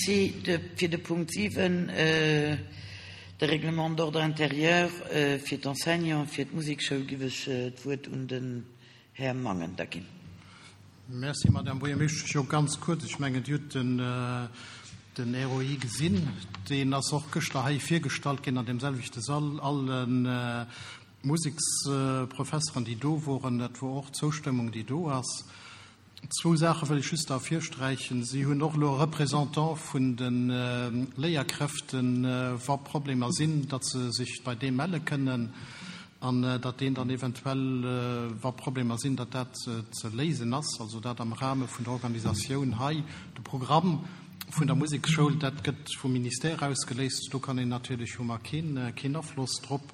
Merci. Fir de Punkt 7, de Règlement d'ordre intérieur fir d'Enseignants, fir d'Musekschoul, giff ech d'Wuert un den Här Mangen da ginn. Merci, Madame Buergermeeschtesch. Jo, ganz kuerz, ech mengen, Dir hutt den ROI gesinn. Deen ass och gëschter hei virgestallt ginn an deem selwechte Sall. Alle Museksprofesseren, déi do woren, dat wor och d'Zoustëmmung, déi do ass. Zwou Saache wëll ech just ervirsträichen. Si hunn och elo e Représentant vun de Léierkräften, wa Problemer sinn, datt se sech bei deem melle kënnen an datt deen dann eventuell, wa Problemer sinn, datt dat ze léisen ass. Also dat am Rahme vun der Organisatioun hei. De Programm vun der Museksschoul, dat gëtt vum Ministère ausgeléist. Do kann een natierlech, hu mer keen Afloss drop.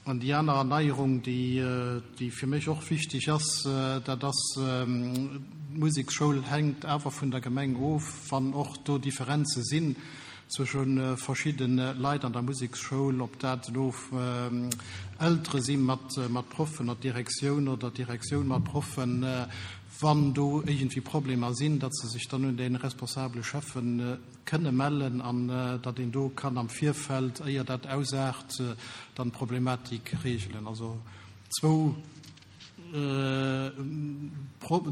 An déi aner Erneierung, déi fir mech och wichteg ass, dat ass, D'Museksschoul hänkt awer vun der Gemeng of. Wann och do Differenze sinn zwësche verschidde Leit an der Museksschoul, ob dat elo Eltere si mat Proffen oder d'Direktioun oder d'Direktioun mat Proffen, wann do iergendwéi Problemer sinn, datt se sech dann un dee responsabele Schäffen kënne mellen an datt een do kann am Virfeld, éier dat ausaart, dann d'Problematik regelen. Also zwou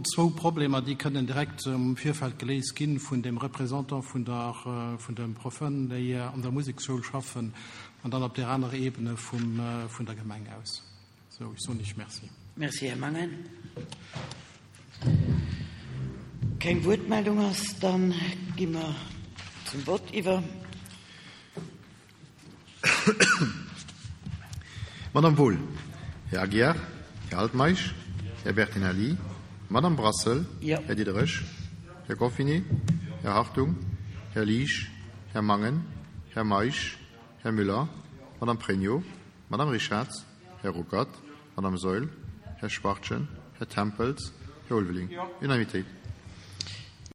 zwou Problemer, déi kënnen direkt am Virfeld geléist gi vun dem Représentant vun der vun de Proffen, déi an der Museksschoul schaffen, an dann op där anerer Ebene vum vun der Gemeng aus. Sou, ech soen Iech Merci. Merci, Här Mangen. Keng Wuertmeldung ass, da gi mer zum Vott iwwer. Madame Wohl, Här Aguiar, Här Altmeisch, Här Bertinelli, Madame Brassel, Här Diderich, Här Goffinet, Här Hartung, Här Liesch, Här Mangen, Här Meisch, Här Müller, Madame Pregno, Madame Richarz, Här Ruckert, Madame Saeul, Här Schwachtgen, Här Tempels, Här Ulveling. Unanimitéit.